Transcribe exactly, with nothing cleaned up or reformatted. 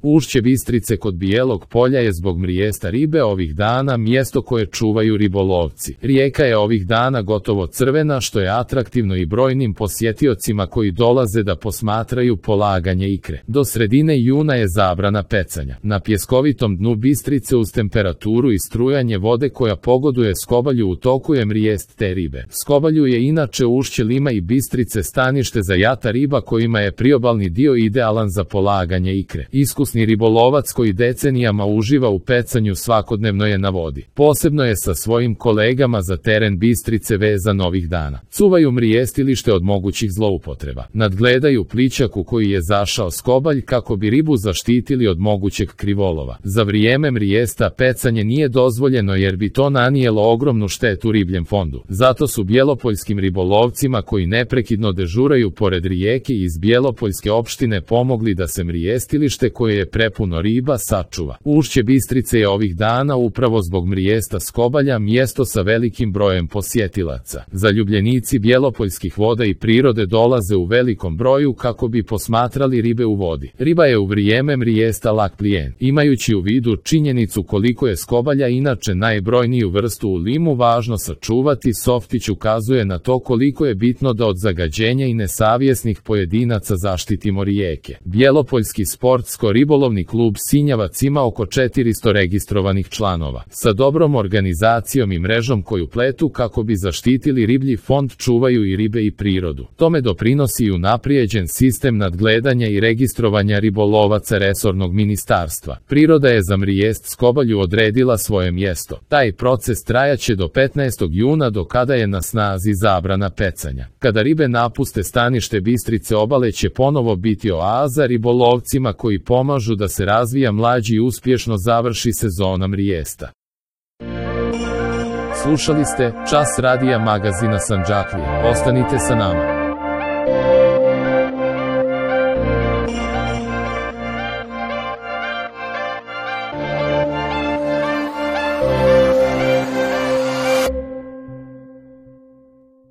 Ušće Bistrice kod Bijelog polja je zbog mrijesta ribe ovih dana mjesto koje čuvaju ribolovci. Rijeka je ovih dana gotovo crvena, što je atraktivno i brojnim posjetiocima koji dolaze da posmatraju polaganje ikre. Do sredine juna je zabrana pecanja. Na pjeskovitom dnu Bistrice uz temperaturu i strujanje vode koja pogoduje Skobalju u toku je mrijest te ribe. Skobalju je inače ušće Lima i Bistrice stanište za jata riba kojima je priobalni dio idealan za polaganje ikre. Iskusni ribolovac koji decenijama uživa u pecanju svakodnevno je na vodi. Posebno je sa svojim kolegama za teren Bistrice vezan ovih dana. Cuvaju mrijestilište od mogućih zloupotreba. Nadgledaju plićak u koji je zašao Skobalj kako bi ribu zaštitili od mogućeg krivolova. Za vrijeme mrijesta pecanje nije dozvoljeno jer bi to nanijelo ogromnu štetu ribljem fondu. Zato su bjelopoljskim ribolovcima koji neprekidno dežuraju pored rijeke iz Bjelopoljske opštine pomogli da se mrijestilište koje je prepuno riba sačuva. Ušće Bistrice je ovih dana upravo zbog mrijesta Skobalja mjesto sa velikim brojem posjetilaca. Zaljubljenici bjelopoljskih voda i prirode dolaze u velikom broju kako bi posmatrali ribe u vodi. Riba je u vrijeme mrijesta lak plijen. Imajući u vidu činjenicu koliko je Skobalja inače najbrojniju vrstu u Limu važno sačuvati, Softić ukazuje na to koliko je bitno da od zagađenja i nesavjesnih pojedinaca zaštitimo rijeke. Bjelopoljski sportsko-ribolovni klub Sinjavac ima oko četiristo registrovanih članova. Sa dobrom organizacijom i mrežom koju pletu kako bi zaštitili riblji fond čuvaju i ribe i prirodu. Tome doprinosi i unaprijeđen sistem nadgledanja i registrovanja ribolovaca resornog ministarstva. Priroda je za mrijest Skobalju odredila svoje mjesto. Taj proces trajaće do petnaestog juna do kada je na snazi zabrana pecanja. Kada ribe napuste stanište Bistrice obale će ponovo biti oaza ribolovcima koji pomažu da se razvija mlađi i uspješno završi sezona mrijesta. Slušali ste Čas radija magazina Sandžaklija. Ostanite sa nama.